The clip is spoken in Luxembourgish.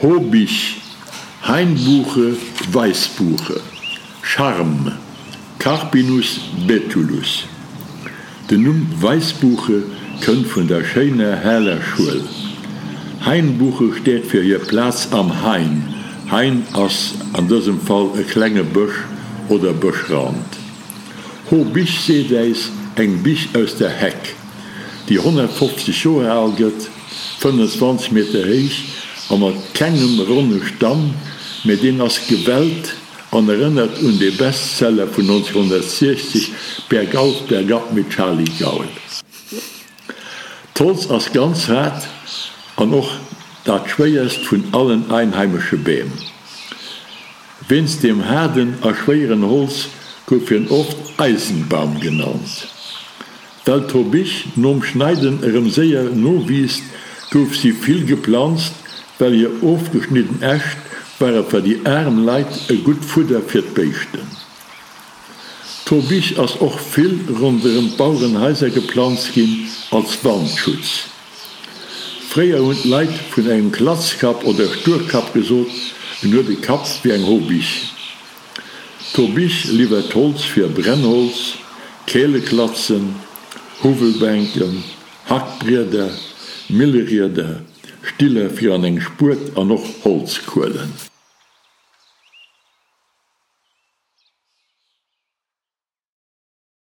Hobich, Hainbuche, Weissbuche, Charme, Carpinus betulus. Den Numm Weissbuche kënnt vun der schéiner heller Schuel. Hainbuche steet fir hir Plaz am Hain, Hain ass an dësem Fall e klenge Bësch oder Bëschrand. Hobich seet äis eng Bich aus der Heck, déi 150 Joer al gëtt, 25 Meter héich a mat kengem ronne Stamm, mä deen ass gewellt an erënnert un de Bestseller vun 1960 Bergauf, bergab mit Charly Gaul. D'Holz ass ganz haart an och dat schwéierst vun allen einheimesche Beem. Wéinst deem haarden a schwéieren Holz gouf hien oft Eisenbaum genannt. Well d'Hobich nom Schneiden erëm séier nowiisst, gouf si vill geplanzt, well hir ofgeschnidden Äscht ware fir déi aarm Leit e gutt Fudder fir d'Béischten. D'Hobich ass och vill ronderëm d'Bauerenhaiser geplanzt ginn als Wandschutz. Fréier hunn d'Leit vun engem Klatzkapp oder Sturkapp gesot, en huet e Kapp wéi eng Hobich. D'Hobich liwwert Holz fir Brennholz, Käleklatzen, Huwwelbänken, Hackbrieder, Millerieder, Stiller fir an eng Spuet an och Holzkuelen.